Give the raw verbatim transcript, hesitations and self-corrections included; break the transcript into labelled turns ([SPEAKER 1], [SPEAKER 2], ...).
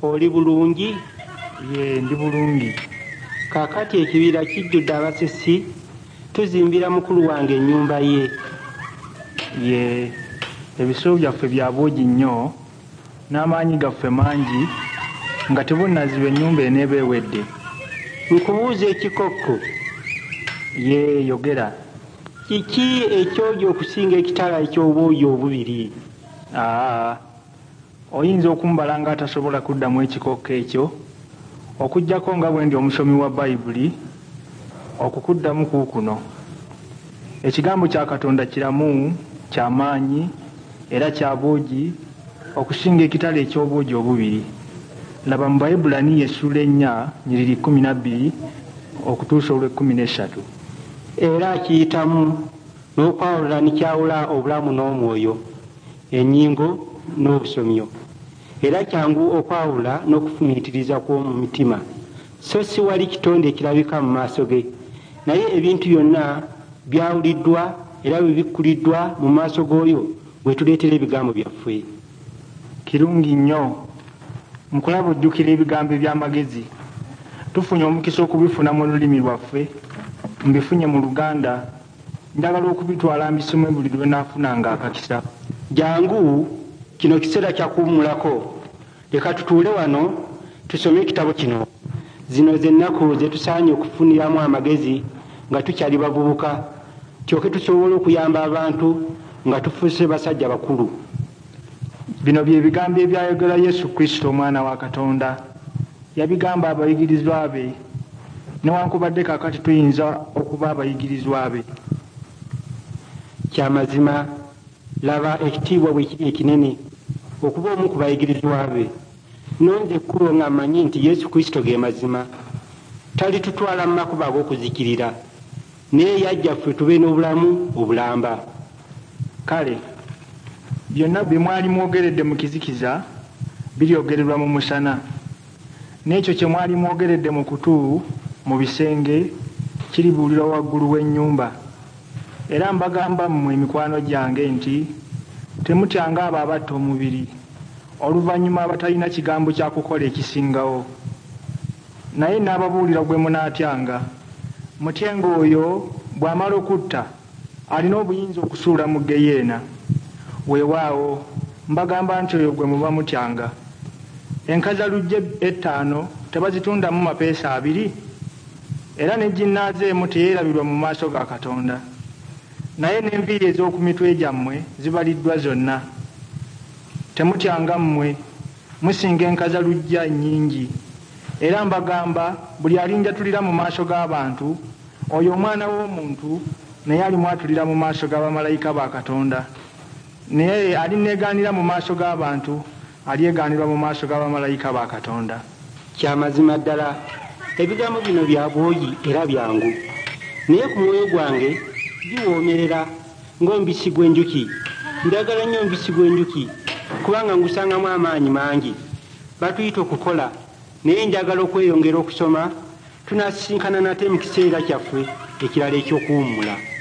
[SPEAKER 1] Oli bulungi?
[SPEAKER 2] Ye, ndi bulungi.
[SPEAKER 1] Kaakati ekibira kijjudde abasisi, tuzimbira mukulu wange ennyumba ye.
[SPEAKER 2] Ye, ebisolo byaffe bya bwogi nnyo n'amaanyi gaffe mangi nga tebunnaziba ennyumba eneeba ewedde.
[SPEAKER 1] Nkubuuza ekikokko.
[SPEAKER 2] Ye, yogera.
[SPEAKER 1] Kiki ekyogi okusinga ekitala eky'obwogi obubiri?
[SPEAKER 2] Aa, oyinza okumbala ng'atasobola kuddamu ekikokko ekyo, okuggyako nga bwe ndi omusomi wa Bayibuli, okukuddamu kuukuno. Ekigambo kya Katonda kiramu, kya maanyi, era kya bwogi okusinga ekitala eky'obwogi obubiri. Laba mu Baebbulaniya essuula ennya nyiriri kkumi na bbiri okutuusa olw'ekkumi n'essatu.
[SPEAKER 1] Era kiyitamu n'okwawula ne kyawula obulamu n'omwoyo, ennyingo n'obusomyo, era kyangu okwawula n'okufumiitiriza kw'omu mitima. So siwali kitonde kirabika mu maaso ge, naye ebintu byonna byawuliddwa era bibikkuliddwa mu maaso g'oyo gwe tuleetera ebigambo byaffe.
[SPEAKER 2] Kirungi nnyo. Nkulaba ojjukira ebigambo eby'amagezi. Tufunye omukisa okubifuna mu lulimi lwaffe. Mbifunye mu Luganda. Njagala okubitwala mbisome buli lwe naafunanga akakisa.
[SPEAKER 1] Jangu, kino kiseera kya kuwummulako. Leka tutuule wano tusome ekitabo kino. Zino ze nnaku ze tusaanye okufuniramu amagezi nga tukyali bavubuka, tulyoke tusobole okuyamba abantu nga tufuuse basajja bakulu.
[SPEAKER 2] Bino bye bigambo ebyayogerwa Yesu Kristo Omwana wa Katonda. Yabigamba abayigirizwa be, newankubadde kaakati tuyinza okuba abayigirizwa be.
[SPEAKER 1] Kya mazima, laba ekitiibwa bwe kiri ekinene okuba omu ku bayigirizwa be. Nnonze ekkubo nga mmanyi nti Yesu Kristo ge mazima. Talitutwala mu makubo ag'okuzikirira, naye yajja ffe tube n'obulamu obulamba.
[SPEAKER 2] Kale byonna bye mwali mwogeredde mu kizikiza, biryogererwa mu musana, n'ekyo kye mwali mwogeredde mu kutu mu bisenge, kiribuulirwa waggulu w'ennyumba. Era mbagamba mmwe mikwano gyange nti temutyanga abo abatta omubiri, oluvannyuma abatalina kigambo kya kukola ekisingawo. Naye nnaababuulira gwe munaatyanga. Mutyenga oyo, bw'amala okutta, alina obuyinza okusuula mu ggeyeena. Weewaawo, mbagamba nti oyo gwe muba mutyanga. Enkazaluggya ettaano tebazitundamu mapeesa abiri? Era ne ginnaazo emu teyeerabirwa mu maaso ga Katonda. Naye n'enviiri ez'oku mitwe gyammwe zibaliddwa zonna. Temutyanga mmwe, musinga enkazaluggya nnyingi. Era mbagamba, buli alinjatulira mu maaso g'abantu, oyo Omwana w'Omuntu naye alimwatulira mu maaso ga bamalayika ba Katonda. Naye alinneegaanira mu maaso g'abantu, alyegaanirwa mu maaso ga bamalayika ba Katonda.
[SPEAKER 1] Kya mazima ddala, ebigambo bino bya bwogi era byangu, naye ku mwoyo gwange biwoomerera ng'omubisi gw'enjuki. Njagala nnyo omubisi gw'enjuki kubanga ngusangamu amaanyi mangi. Batuyita okukola, naye njagala okweyongera okusoma. Tunaasisinkana nate mu kiseera kyaffe ekirala eky'okuwummula.